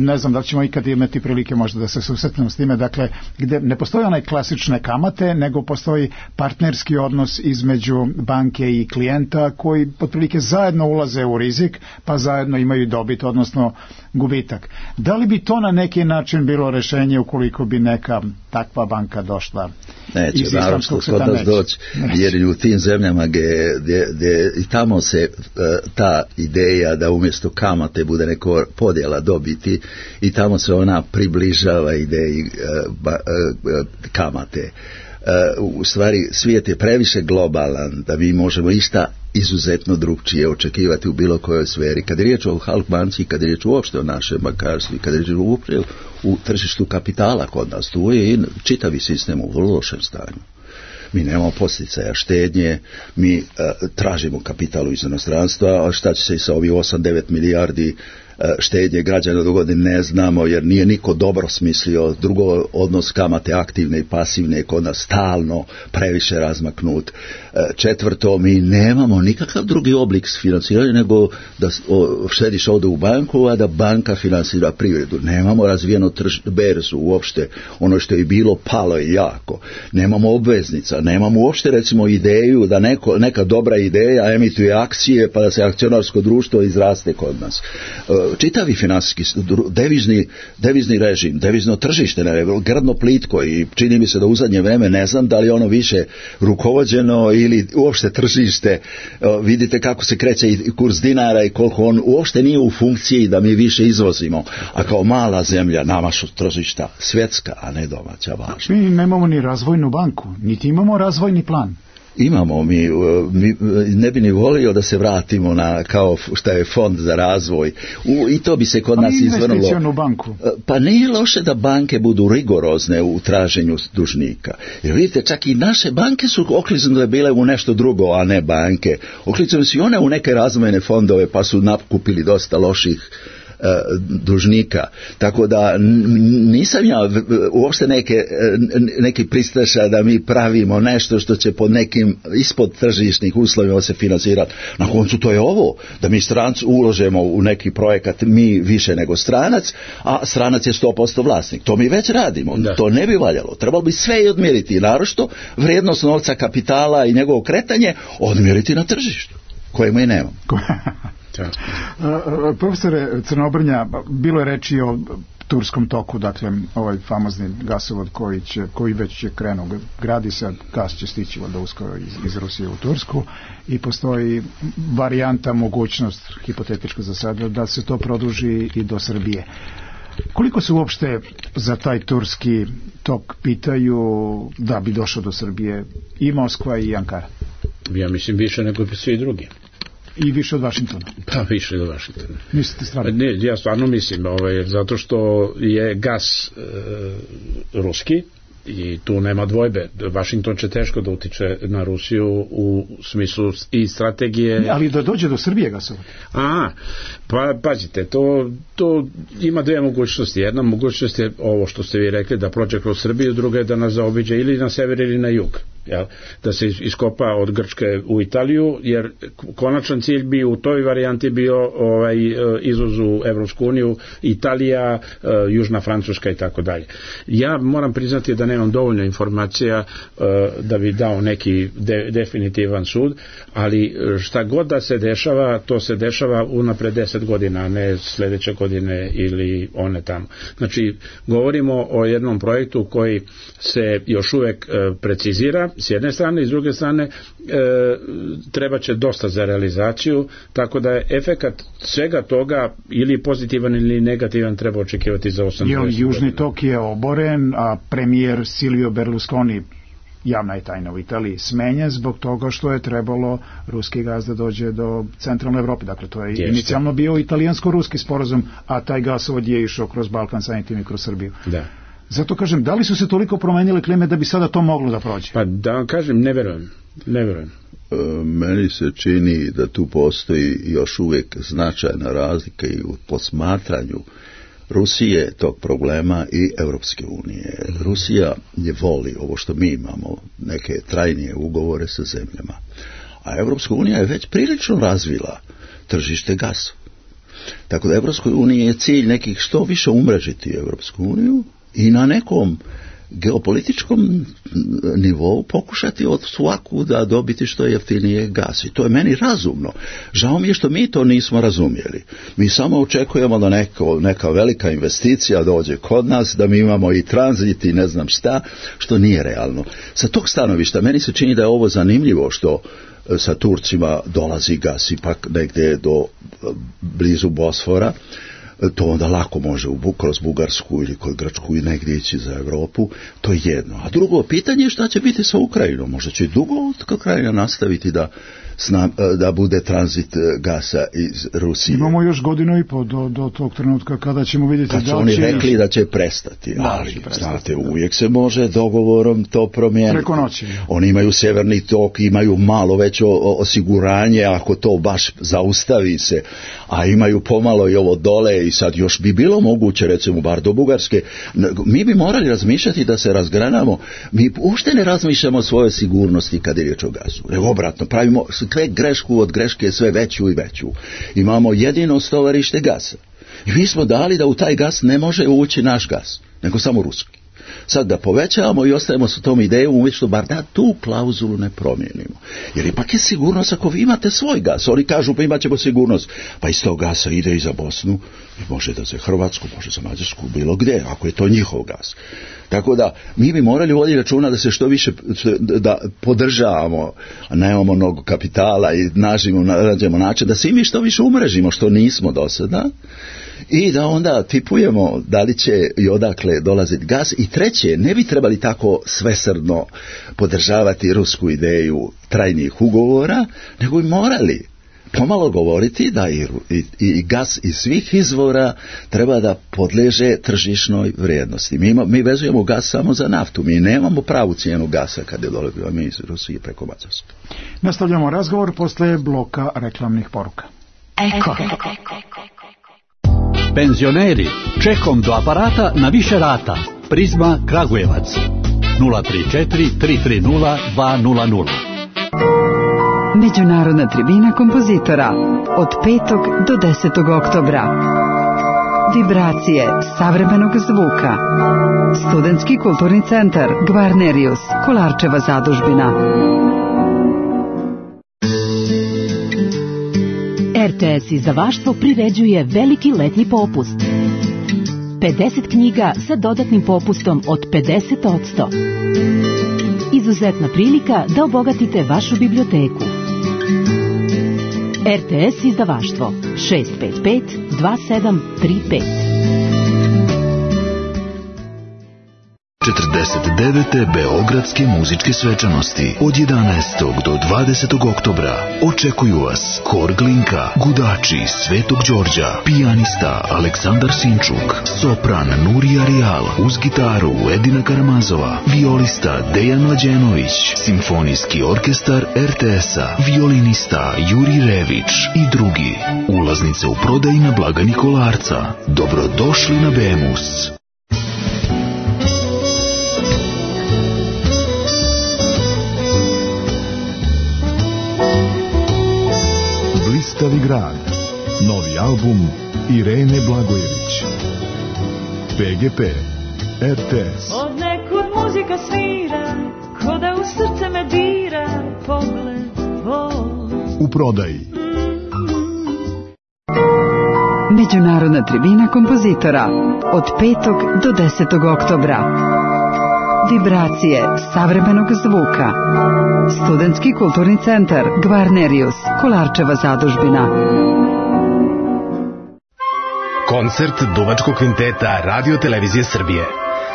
ne znam da li ćemo ikad imati prilike možda da se susretnemo s time, dakle, gdje ne postoje onaj klasične kamate, nego postoji partnerski odnos između banke i klijenta koji otprilike zajedno ulaze u rizik, pa zajedno imaju dobit, odnosno gubitak. Da li bi to na neki način bilo rješenje ukoliko bi neka takva banka došla Neće, naravno kod nas doći, jer u tim zemljama gdje, gdje, gdje i tamo se uh, ta ideja da umjesto kamate bude neko podjela dobiti i tamo se ona približava ideji uh, ba, uh, kamate. Uh, u stvari svijet je previše globalan da mi možemo išta izuzetno drugčije očekivati u bilo kojoj sferi. Kad je riječ o Halkbanci, kad je riječ uopšte o našem bankarstvu, kad je riječ uopšte u tržištu kapitala kod nas, tu je i čitavi sistem u vrlo lošem stanju. Mi nemamo posticaja štednje, mi uh, tražimo kapital iz inostranstva, a šta će se i sa ovih osam devet milijardi štednje građana do godine ne znamo, jer nije niko dobro smislio. Drugo, odnos kamate aktivne i pasivne je kod nas stalno previše razmaknut. Četvrto, mi nemamo nikakav drugi oblik financiranja nego da štediš ovdje u banku, a da banka financira privredu. Nemamo razvijeno trž, berzu uopšte, ono što je bilo palo je jako. Nemamo obveznica, nemamo uopšte recimo ideju da neko, neka dobra ideja emituje akcije pa da se akcionarsko društvo izraste kod nas. Čitavi finansijski, devizni, devizni režim, devizno tržište je grdno plitko i čini mi se da u zadnje vreme ne znam da li ono više rukovođeno ili uopšte tržište. Vidite kako se kreće i kurs dinara i koliko on uopšte nije u funkciji da mi više izvozimo, a kao mala zemlja nama su tržišta svjetska, a ne domaća važna. Mi nemamo ni razvojnu banku, niti imamo razvojni plan. Imamo mi, mi, ne bi ni volio da se vratimo na kao šta je fond za razvoj u, i to bi se kod A nas izvrnulo. Banku. Pa nije loše da banke budu rigorozne u traženju dužnika. Jer vidite, čak i naše banke su okliznule bile u nešto drugo, a ne banke. Okliznule su i one u neke razvojne fondove pa su nakupili dosta loših dužnika. Tako da nisam ja uopšte neke, neki pristaša da mi pravimo nešto što će pod nekim ispod tržišnih uslovima se financirati. Na koncu to je ovo, da mi stranci uložemo u neki projekat mi više nego stranac, a stranac je sto posto vlasnik. To mi već radimo. Da. To ne bi valjalo. Trebalo bi sve i odmjeriti. Narošto vrijednost novca kapitala i njegovo kretanje odmjeriti na tržištu, kojemu i nemamo. Uh, profesore Crnobrnja, bilo je reči o turskom toku, dakle ovaj famozni gasovod koji, će, koji već je krenuo, gradi se, gas će stići da uskoro iz, iz Rusije u Tursku i postoji varijanta, mogućnost, hipotetičko za sada, da se to produži i do Srbije. Koliko se uopšte za taj turski tok pitaju da bi došao do Srbije i Moskva i Ankara? Ja mislim više nego svi drugi. I više od Vašingtona? Pa više od Vašingtona. Mislite stvarno? Ne, ja stvarno mislim, ovaj, zato što je gas e, ruski i tu nema dvojbe. Vašington će teško da utiče na Rusiju u smislu i strategije. Ali da dođe do Srbije gasovod? A, pa pazite, to, to ima dvije mogućnosti. Jedna mogućnost je ovo što ste vi rekli, da prođe kroz Srbiju, druga je da nas zaobiđe ili na sever ili na jug. Jel? Da se iskopa od Grčke u Italiju, jer konačan cilj bi u toj varijanti bio ovaj, izvoz u Evropsku uniju, Italija, Južna Francuska i tako dalje. Ja moram priznati da nemam dovoljno informacija da bi dao neki de, definitivan sud, ali šta god da se dešava, to se dešava unapred deset godina, a ne sljedeće godine ili one tamo. Znači, govorimo o jednom projektu koji se još uvek precizira s jedne strane i s druge strane e, treba će dosta za realizaciju, tako da je efekat svega toga ili pozitivan ili negativan treba očekivati za osam godina. Južni tok je oboren, a premijer Silvio Berlusconi, javna je tajna u Italiji, smenjen zbog toga što je trebalo ruski gaz da dođe do centralne Evrope. Dakle, to je Jeste. inicijalno bio italijansko-ruski sporazum, a taj gasovod je išao kroz Balkan, samim tim i kroz Srbiju. Da. Zato kažem, da li su se toliko promenile klime da bi sada to moglo da prođe? Pa da vam kažem, ne verujem. Ne verujem. E, meni se čini da tu postoji još uvijek značajna razlika i u posmatranju Rusije tog problema i Europske unije. Rusija je voli ovo što mi imamo, neke trajnije ugovore sa zemljama. A Europska unija je već prilično razvila tržište gasa. Tako da Europskoj uniji je cilj nekih što više umrežiti Europsku uniju i na nekom geopolitičkom nivou pokušati od svakuda dobiti što je jeftinije gas. I to je meni razumno. Žao mi je što mi to nismo razumjeli. Mi samo očekujemo da neko, neka velika investicija dođe kod nas, da mi imamo i tranzit i ne znam šta, što nije realno. Sa tog stanovišta meni se čini da je ovo zanimljivo što sa Turcima dolazi gas ipak negdje do blizu Bosfora. To onda lako može u, kroz Bugarsku ili kod Grčku i negdje ići za Europu, to je jedno. A drugo pitanje je šta će biti sa Ukrajinom. Možda će dugo Ukrajina nastaviti da, da bude tranzit gasa iz Rusije. Imamo još godinu i po do, do tog trenutka kada ćemo vidjeti kad da će oni rekli da će prestati, da, ali prestati, znate, da. Uvijek se može dogovorom to promijeniti. Preko noći. Oni imaju sjeverni tok, imaju malo veće osiguranje ako to baš zaustavi se, a imaju pomalo i ovo dole i sad još bi bilo moguće, recimo bar do Bugarske. Mi bi morali razmišljati da se razgranamo. Mi uopšte ne razmišljamo o svojoj sigurnosti kad je riječ o gasu. Nego obratno, pravimo sve grešku od greške sve veću i veću. Imamo jedino stovarište gasa. I mi smo dali da u taj gas ne može ući naš gas, nego samo ruski. Sad da povećavamo i ostajemo sa tom idejom umjesto bar da tu klauzulu ne promijenimo. Jer ipak je sigurnost ako vi imate svoj gas. Oni kažu pa imat ćemo sigurnost. Pa iz tog gasa ide i za Bosnu, i može da za Hrvatsku, može za Mađarsku, bilo gdje, ako je to njihov gas. Tako da mi bi morali voditi računa da se što više da podržavamo, a nemamo mnogo kapitala i nađemo, nađemo način da se i mi što više umrežimo, što nismo do sada. I da onda tipujemo da li će i odakle dolaziti gas. I treće, ne bi trebali tako svesrdno podržavati rusku ideju trajnih ugovora, nego bi morali pomalo govoriti da i, i, i gas iz svih izvora treba da podleže tržišnoj vrijednosti. Mi, ima, mi vezujemo gas samo za naftu, mi nemamo pravu cijenu gasa kad je dolazimo mi iz Rusije preko Mađarske. Nastavljamo razgovor posle bloka reklamnih poruka. Eko. Penzioneri, čekom do aparata na više rata. Prizma Kragujevac nula tri četiri tri tri nula dva nula nula. Međunarodna tribina kompozitora od petog do desetog oktobra. Vibracije savremenog zvuka. Studentski kulturni centar Gvarnerius, Kolarčeva zadužbina. R T S izdavaštvo priređuje veliki letnji popust. pedeset knjiga sa dodatnim popustom od pedeset posto. Izuzetna prilika da obogatite vašu biblioteku. R T S izdavaštvo šest pet pet dva sedam tri pet. četrdeset devete Beogradske muzičke svečanosti od jedanaestog do dvadesetog oktobra očekuju vas Hor Glinka, Gudači Svetog Đorđa, pijanista Aleksandar Sinčuk, sopran Nurija Rijal, uz gitaru Edina Karamazova, violista Dejan Mlađenović, simfonijski orkestar R T S-a, violinista Juri Rević i drugi. Ulaznice u prodaji na blagajni Kolarca. Dobrodošli na Bemus. Blistavi grad. Novi album Irene Blagojević. P G P R T S. Od nekud muzika svira, ko da u srce me dira, pogled tvoj. U prodaji. Međunarodna tribina kompozitora od petog do desetog oktobra. Vibracije savremenog zvuka. Studentski kulturni centar Gvarnerius, Kolarčeva zadužbina. Koncert Duvačkog kvinteta Radio Televizije Srbije.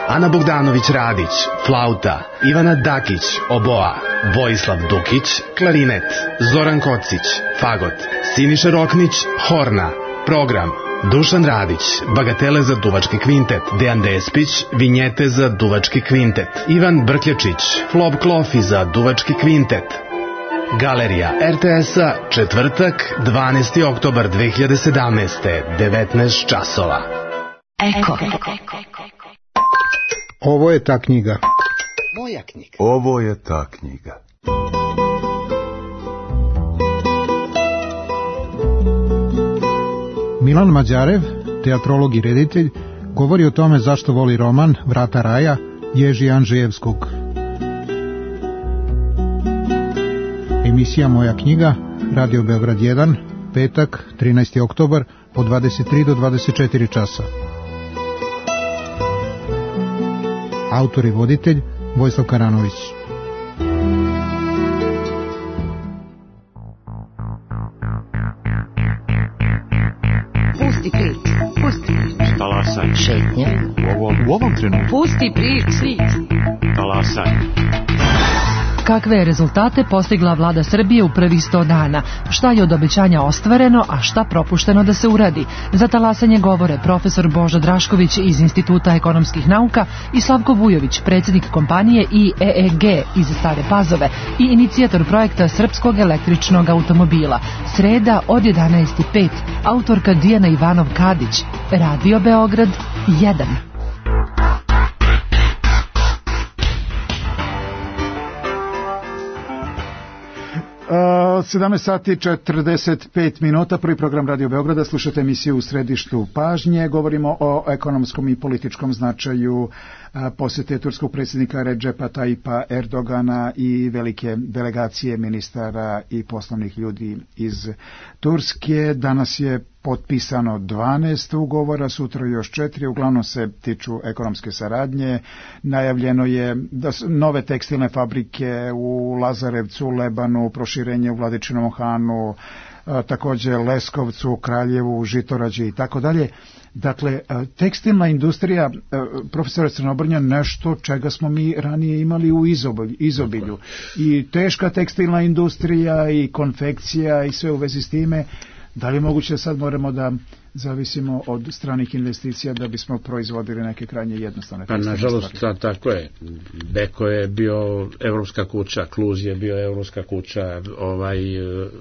Ana Bogdanović Radić, flauta, Ivana Dakić, oboa, Vojislav Dukić, klarinet, Zoran Kocić, fagot, Siniša Roknić, horna. Program: Dušan Radić, bagatele za Duvački kvintet, Dejan Despić, vinjete za Duvački kvintet, Ivan Brkljačić, flop klofi za Duvački kvintet. Galerija R T S-a, četvrtak, dvanaesti oktobar dve hiljade sedamnaeste, devetnaest časova. Eko. Ovo je ta knjiga. Moja knjiga. Ovo je ta knjiga. Milan Mađarev, teatrolog i reditelj, govori o tome zašto voli roman Vrata raja Ježi Andžejevskog. Emisija Moja knjiga, Radio Beograd jedan, petak, trinaesti oktobar, od dvadeset tri do dvadeset četiri časa. Autor i voditelj Vojislav Karanović. Pusti prič, pusti prič. Talasaj. Šetnja. U ovom, u ovom trenutku. Pusti prič. Talasaj. Kakve je rezultate postigla vlada Srbije u prvih sto dana? Šta je od obećanja ostvareno, a šta propušteno da se uradi? Za talasanje govore profesor Božo Drašković iz Instituta ekonomskih nauka i Slavko Vujović, predsjednik kompanije I E E G iz Stare Pazove i inicijator projekta srpskog električnog automobila. Sreda od jedanaest i pet, autorka Dijana Ivanov-Kadić, Radio Beograd jedan. sedamnaest sati četrdeset pet minuta, prvi program Radio Beograda, slušate emisiju U središtu pažnje, govorimo o ekonomskom i političkom značaju posjete turskog predsjednika Redžepa Tajipa Erdogana i velike delegacije ministara i poslovnih ljudi iz Turske. Danas je potpisano dvanaest ugovora, sutra još četiri, uglavnom se tiču ekonomske saradnje. Najavljeno je da su nove tekstilne fabrike u Lazarevcu, Lebanu, proširenje u Vladičinom Hanu, također Leskovcu, Kraljevu, Žitorađi i tako dalje. Dakle, tekstilna industrija, profesor Crnobrnja, nešto čega smo mi ranije imali u izobilju. I teška tekstilna industrija i konfekcija i sve u vezi s time. Da li je moguće da sad moramo da zavisimo od stranih investicija da bismo proizvodili neke krajnje jednostavne pa nažalost ta, tako je. Beko je bio evropska kuća, Kluz je bio evropska kuća, ovaj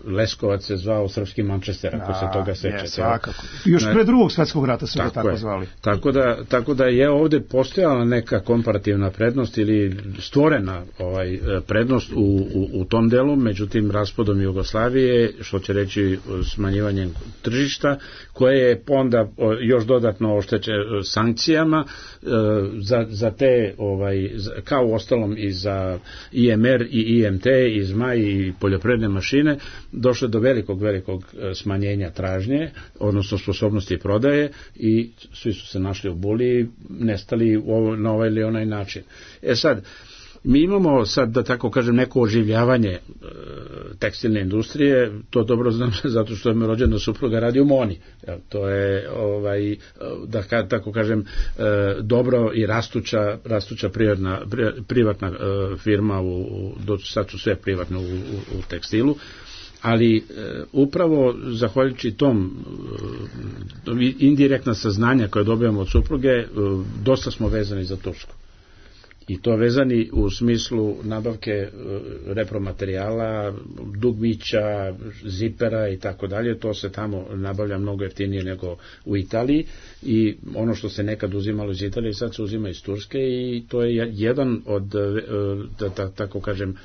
Leskovac se zvao srpski Manchester, ako da, se toga sećate. Svakako. Još pre drugog svjetskog rata su ga tako je. zvali. Tako da, tako da je ovdje postojala neka komparativna prednost ili stvorena ovaj prednost u, u, u tom delu, međutim raspadom Jugoslavije, što će reći smanjivanjem tržišta, koje je onda još dodatno ošteće sankcijama za, za te ovaj, kao ostalom i za I M R i I M T i zmaj i poljoprivredne mašine došlo do velikog velikog smanjenja tražnje, odnosno sposobnosti prodaje i svi su se našli u buli, nestali na ovaj ili onaj način. E sad, mi imamo sad, da tako kažem, neko oživljavanje e, tekstilne industrije, to dobro znam zato što je me rođena supruga radi u Moni. Ja, to je, ovaj, da ka, tako kažem, e, dobro i rastuća, rastuća privatna, privatna e, firma, u, u, do, sad su sve privatne u, u, u tekstilu, ali e, upravo zahvaljujući tom e, indirektna saznanja koje dobijamo od supruge, e, dosta smo vezani za Tursku. I to vezani u smislu nabavke repromaterijala, dugmića, zipera i tako dalje. To se tamo nabavlja mnogo jeftinije nego u Italiji i ono što se nekad uzimalo iz Italije sad se uzima iz Turske i to je jedan od, da, da, tako kažem,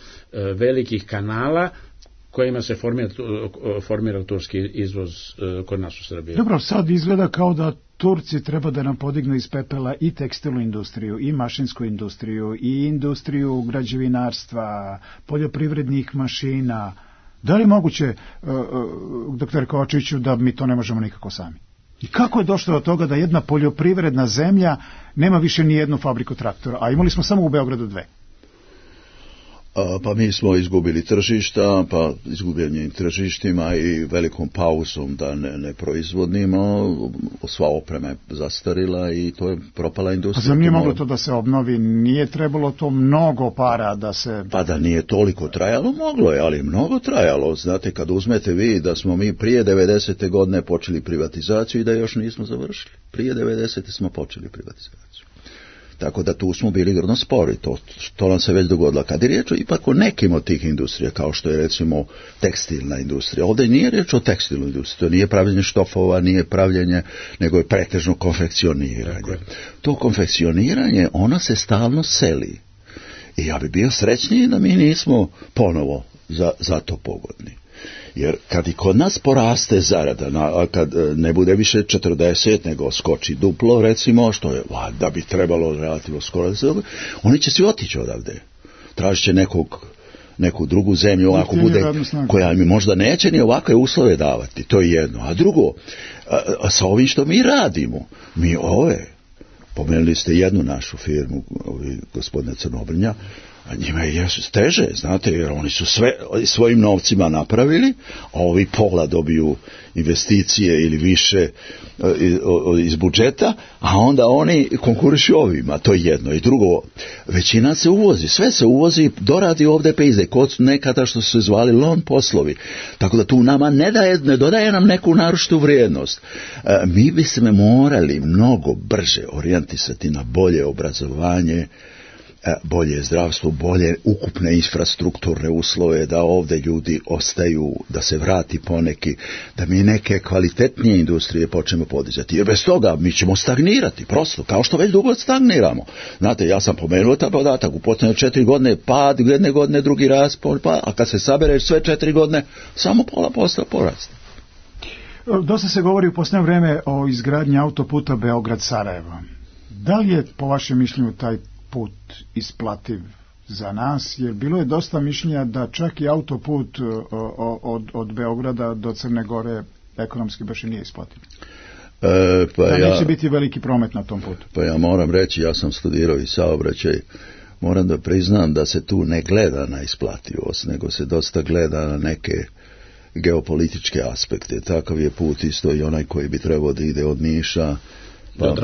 velikih kanala kojima se formira, formira turski izvoz kod nas u Srbiji. Dobro, sad izgleda kao da Turci treba da nam podignu iz pepela i tekstilnu industriju, i mašinsku industriju, i industriju građevinarstva, poljoprivrednih mašina. Da li je moguće, uh, uh, doktor Kovačiću, da mi to ne možemo nikako sami? I kako je došlo do toga da jedna poljoprivredna zemlja nema više ni jednu fabriku traktora, a imali smo samo u Beogradu dve? A, pa mi smo izgubili tržišta, pa izgubljenim tržištima i velikom pauzom da ne, ne proizvodnimo, sva oprema je zastarila i to je propala industrija. A zar nije moglo to da se obnovi? Nije trebalo to mnogo para da se... Pa da nije toliko trajalo, moglo je, ali mnogo trajalo. Znate, kad uzmete vi da smo mi prije devedesete godine počeli privatizaciju i da još nismo završili. Prije devedesete smo počeli privatizaciju. Tako da tu smo bili grno spori, to, to nam se već dogodilo. Kad je riječ ipak o nekim od tih industrija, kao što je recimo tekstilna industrija, ovdje nije riječ o tekstilnoj industriji, to nije pravljenje štofova, nije pravljenje, nego je pretežno konfekcioniranje. To konfekcioniranje, ona se stalno seli. I ja bi bio srećniji da mi nismo ponovo za, za to pogodni. Jer kad i kod nas poraste zarada, na, kad ne bude više četrdeset, nego skoči duplo, recimo, što je, da bi trebalo relativno skoro, oni će svi otići odavde. Tražit će nekog, neku drugu zemlju, ako bude, koja mi možda neće ni ovakve uslove davati. To je jedno. A drugo, a, a sa ovim što mi radimo, mi ove, pomenuli ste jednu našu firmu, ovi, gospodine Crnobrnja, a njima je teže, znate, jer oni su sve svojim novcima napravili, a ovi pola dobiju investicije ili više iz budžeta, a onda oni konkurišu ovima, to je jedno. I drugo, većina se uvozi, sve se uvozi, doradi ovdje pejze, kod nekada što su se zvali lon poslovi, tako da tu nama ne, daje, ne dodaje nam neku naročitu vrijednost. Mi bi se morali mnogo brže orijentisati na bolje obrazovanje, bolje zdravstvo, bolje ukupne infrastrukturne uslove, da ovdje ljudi ostaju, da se vrati poneki, da mi neke kvalitetnije industrije počnemo podizati. Jer bez toga mi ćemo stagnirati, prosto, kao što već dugo stagniramo. Znate, ja sam pomenuo taj podatak, u posljednje četiri godine pad, jedne godine drugi rast, pa, a kad se sabereš sve četiri godine, samo pola posta porasta. Dosta se govori u posljednje vreme o izgradnji autoputa Beograd-Sarajevo. Da li je, po vašem mišljenju, taj put isplativ za nas, jer bilo je dosta mišljenja da čak i autoput od, od Beograda do Crne Gore ekonomski baš i nije isplativ. E, pa da ja, neće biti veliki promet na tom putu. Pa ja moram reći, ja sam studirao i saobraćaj, moram da priznam da se tu ne gleda na isplativost, nego se dosta gleda na neke geopolitičke aspekte. Takav je put isto i onaj koji bi trebao da ide od Niša Pa,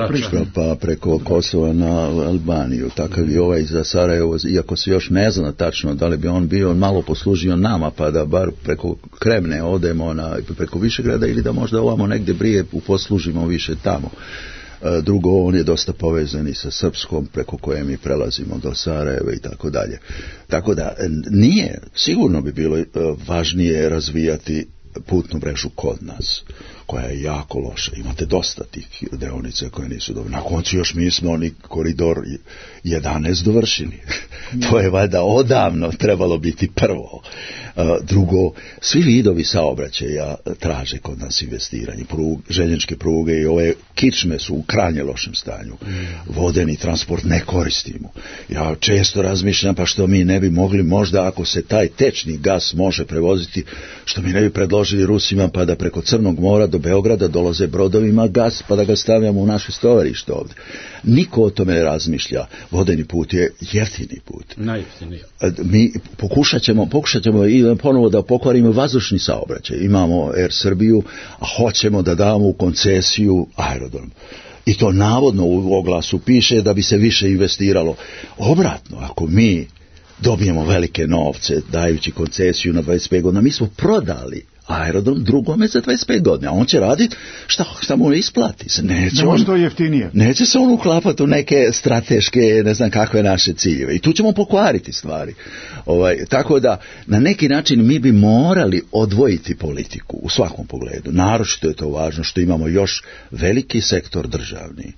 pa preko Kosova na Albaniju, takav je ovaj za Sarajevo, iako se još ne zna tačno da li bi on bio malo poslužio nama, pa da bar preko Kremne odemo na, preko Višegrada ili da možda ovamo negdje brije poslužimo više tamo. Drugo, on je dosta povezan i sa Srpskom, preko koje mi prelazimo do Sarajeva i tako dalje. Tako da nije, sigurno bi bilo važnije razvijati putnu mrežu kod nas, koja je jako loša. Imate dosta tih deonica koje nisu dobre. Na koncu još mi smo oni koridor jedanaest dovršili. To je valjda odavno trebalo biti prvo. Drugo, svi vidovi saobraćaja traže kod nas investiranje. Prug, željezničke pruge i ove kičme su u krajnje lošem stanju. Vodeni transport ne koristimo. Ja često razmišljam, pa što mi ne bi mogli, možda ako se taj tečni gas može prevoziti, što mi ne bi predložili Rusima, pa da preko Crnog mora do Beograda dolaze brodovima gas, pa da ga stavljamo u naše stovarište ovdje. Niko o tome ne razmišlja. Vodeni put je jeftini put. Najjeftiniji. Mi pokušat ćemo, pokušat ćemo i ponovo da pokvarimo vazdušni saobraćaj. Imamo Air Srbiju, a hoćemo da damo u koncesiju aerodrom. I to navodno u oglasu piše da bi se više investiralo. Obratno, ako mi dobijemo velike novce dajući koncesiju na dvadeset pet godina, mi smo prodali aerodrom drugome za dvadeset pet godina, a on će raditi šta, šta mu isplati se. Neće, ne on, to jeftinije. Neće se on uklapati u neke strateške, ne znam kakve naše ciljeve. I tu ćemo pokvariti stvari. Ovaj, tako da, na neki način mi bi morali odvojiti politiku u svakom pogledu. Naročito je to važno što imamo još veliki sektor državni.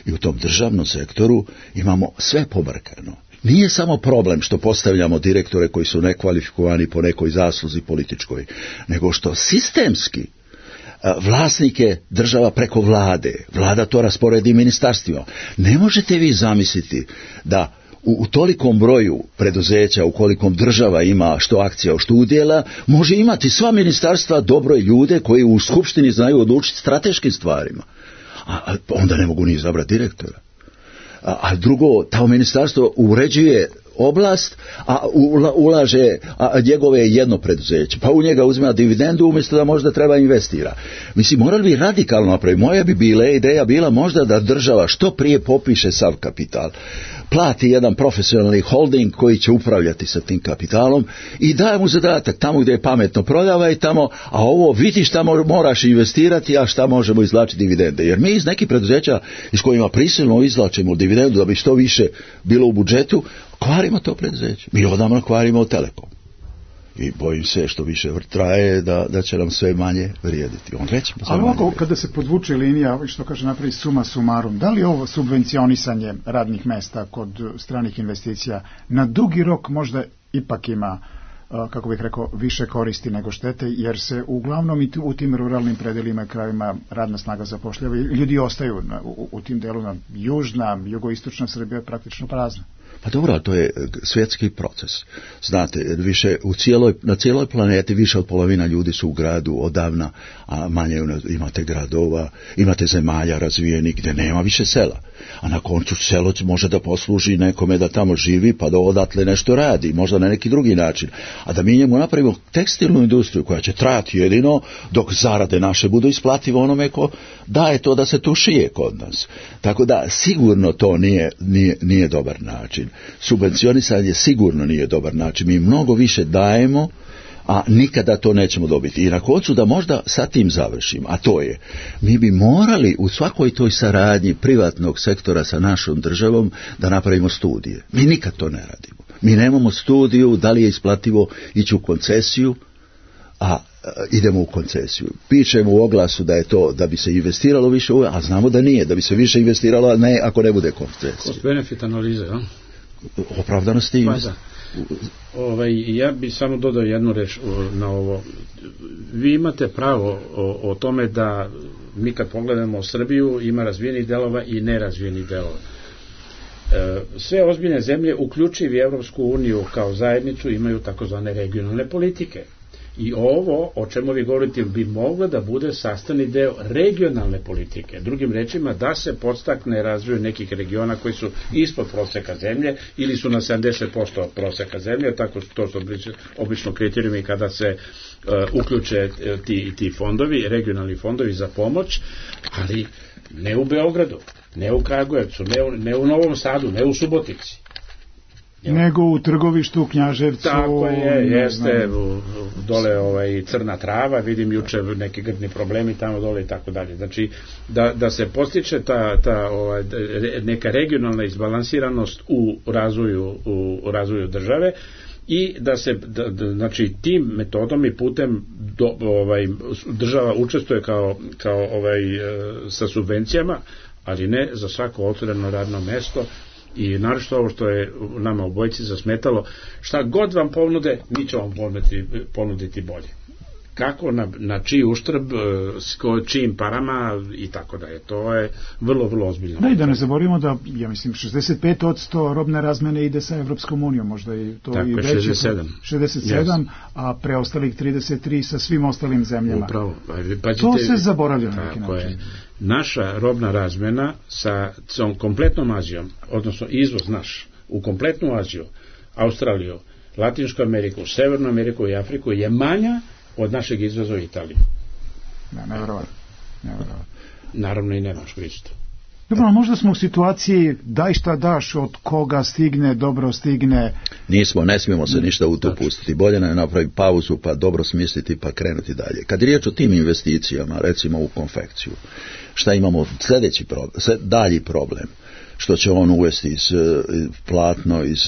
I u tom državnom sektoru imamo sve pobrkano. Nije samo problem što postavljamo direktore koji su nekvalifikovani po nekoj zasluzi političkoj, nego što sistemski vlasnike država preko vlade, vlada to rasporedi ministarstvima. Ne možete vi zamisliti da u, u tolikom broju preduzeća, u kolikom država ima što akcija, što udjela, može imati sva ministarstva dobro ljude koji u skupštini znaju odlučiti strateškim stvarima. A, a onda ne mogu ni izabrati direktora. A, a drugo, ta ministarstvo uređuje oblast, a ulaže a njegove jedno preduzeće, pa u njega uzima dividendu umjesto da možda treba investira. Mislim, morali bi radikalno napraviti. Moja bi bila ideja bila možda da država što prije popiše sav kapital, plati jedan profesionalni holding koji će upravljati sa tim kapitalom i daje mu zadatak tamo gdje je pametno prodavaj tamo, a ovo vidi šta moraš investirati, a šta možemo izvlačiti dividende. Jer mi iz nekih preduzeća iz kojima prisilno izvlačimo dividendu da bi što više bilo u budžetu, kvarimo to preduzeće. Mi odavno kvarimo Telekom. I bojim se što više traje da, da će nam sve manje vrijediti. On reći, ali ovako, kada se podvuče linija, što kaže napravi suma sumarum, da li ovo subvencionisanje radnih mesta kod stranih investicija na dugi rok možda ipak ima kako bih rekao, više koristi nego štete, jer se uglavnom i u tim ruralnim predelima i krajevima radna snaga zapošljava i ljudi ostaju na, u, u tim delima. Južna, jugoistočna Srbija je praktično prazna. Pa dobro, to je svjetski proces. Znate, više u cijeloj, na cijeloj planeti više od polovina ljudi su u gradu odavna, a manje imate gradova, imate zemalja razvijenih gdje nema više sela. A na koncu selo može da posluži nekome da tamo živi, pa da odatle nešto radi, možda na neki drugi način. A da mi njemu napravimo tekstilnu industriju koja će trajati jedino dok zarade naše budu isplative onome ko daje to da se tu šije kod nas. Tako da sigurno to nije, nije, nije dobar način. Subvencionisanje sigurno nije dobar način. Mi mnogo više dajemo, a nikada to nećemo dobiti. I na koncu da možda sa tim završim, a to je, mi bi morali u svakoj toj saradnji privatnog sektora sa našom državom da napravimo studije. Mi nikad to ne radimo. Mi nemamo studiju da li je isplativo ići u koncesiju, a idemo u koncesiju. Pišemo u oglasu da je to da bi se investiralo više, a znamo da nije, da bi se više investiralo, a ne ako ne bude koncesija. Cost benefit analize, a? Opravdanosti. Pa da. Ovaj, ja bih samo dodao jednu reč na ovo. Vi imate pravo o, o tome da mi kad pogledamo Srbiju ima razvijenih delova i nerazvijenih delova. E, sve ozbiljne zemlje, uključivi Evropsku uniju kao zajednicu, imaju takozvane regionalne politike. I ovo, o čemu vi govorite, bi moglo da bude sastavni deo regionalne politike. Drugim rečima, da se podstakne razvoj nekih regiona koji su ispod proseka zemlje ili su na sedamdeset posto proseka zemlje, tako to su obično kriterijumi kada se uh, uključe ti, ti fondovi, regionalni fondovi za pomoć, ali ne u Beogradu, ne u Kragujevcu, ne u, ne u Novom Sadu, ne u Subotici. Nego u Trgovištu, u Knjaževcu. Tako je, jeste, dole ovaj, Crna Trava, vidim juče neki grdni problemi tamo dole i tako dalje. Znači, da, da se postiče ta, ta ovaj, neka regionalna izbalansiranost u razvoju, u razvoju države i da se, da, da, znači, tim metodom i putem do, ovaj, država učestvuje kao, kao ovaj, sa subvencijama, ali ne za svako otvoreno radno mesto. I naročito ovo što je nama obojici zasmetalo, šta god vam ponude, mi ćemo vam ponuditi, ponuditi bolje. Kako, na, na čiji uštrb, s čijim parama i tako da je. To je vrlo, vrlo ozbiljno. Da, i da ne zaboravimo da, ja mislim, šezdeset pet posto robne razmene ide sa Evropskom unijom, možda i to tako, i veće. šezdeset sedam. šezdeset sedam, yes. A preostalih trideset tri sa svim ostalim zemljama. Upravo. Pa, to se zaboravlja na neki način. Je. Naša robna razmena sa kompletnom Azijom, odnosno izvoz naš u kompletnu Aziju, Australiju, Latinsku Ameriku, Severnu Ameriku i Afriku je manja od našeg izvoza u Italiju. Ne, nevjerovatno. Nevjerovatno. Naravno i Nemačku isto. Dobro, možda smo u situaciji daj šta daš, od koga stigne, dobro stigne. Nismo, ne smijemo se ništa u to pustiti. Bolje nam je napraviti pauzu, pa dobro smisliti, pa krenuti dalje. Kad je riječ o tim investicijama, recimo u konfekciju, šta imamo sljedeći problem, dalji problem, što će on uvesti iz platno, iz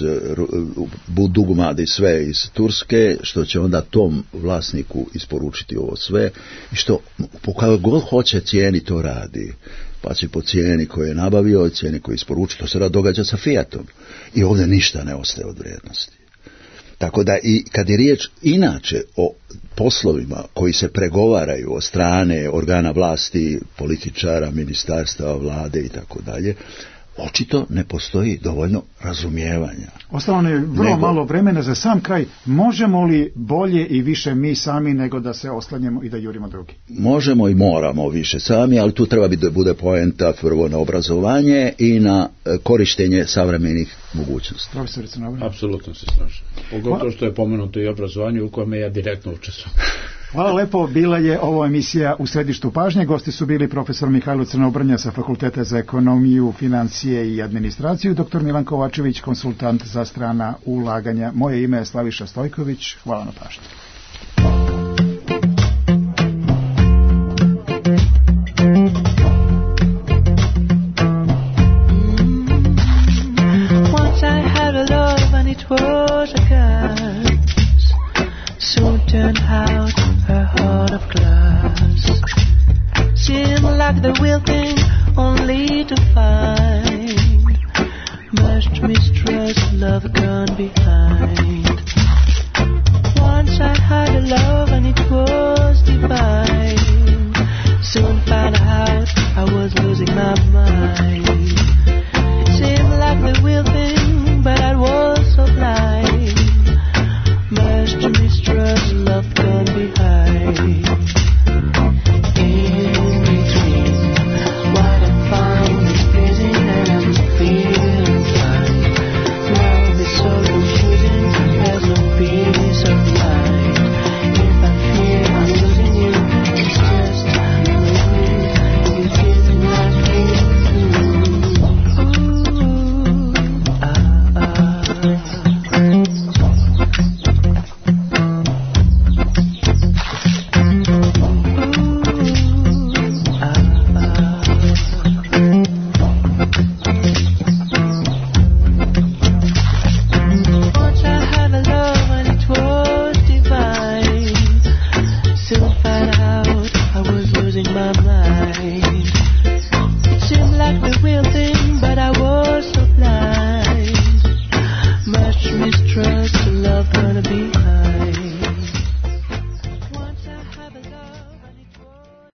dugmad i sve iz Turske, što će onda tom vlasniku isporučiti ovo sve i što kako god hoće cijeni to radi, pa će po cijeni koje je nabavio i cijeni koje je isporučio, to se rad događa sa Fiatom i ovdje ništa ne ostaje od vrijednosti. Tako da i kad je riječ inače o poslovima koji se pregovaraju od strane organa vlasti, političara, ministarstva, vlade i tako dalje, očito ne postoji dovoljno razumijevanja. Ostalo je vrlo nego, malo vremena za sam kraj. Možemo li bolje i više mi sami nego da se oslanjemo i da jurimo drugi? Možemo i moramo više sami, ali tu treba da bude poenta prvo na obrazovanje i na korištenje savremenih mogućnosti. Profesor Crnobran. Apsolutno se slažem. Pogotovo što je pomenuto i obrazovanje u kojem ja direktno učestvujem. Hvala lepo, bila je ovo emisija U središtu pažnje. Gosti su bili profesor Mihajlo Crnobrnja sa Fakulteta za ekonomiju, financije i administraciju, doktor Milan Kovačević, konsultant za strana ulaganja. Moje ime je Slaviša Stojković. Hvala na pažnji. Turned out her heart of glass. Seemed like the real thing, only to find much mistrust, love gone behind.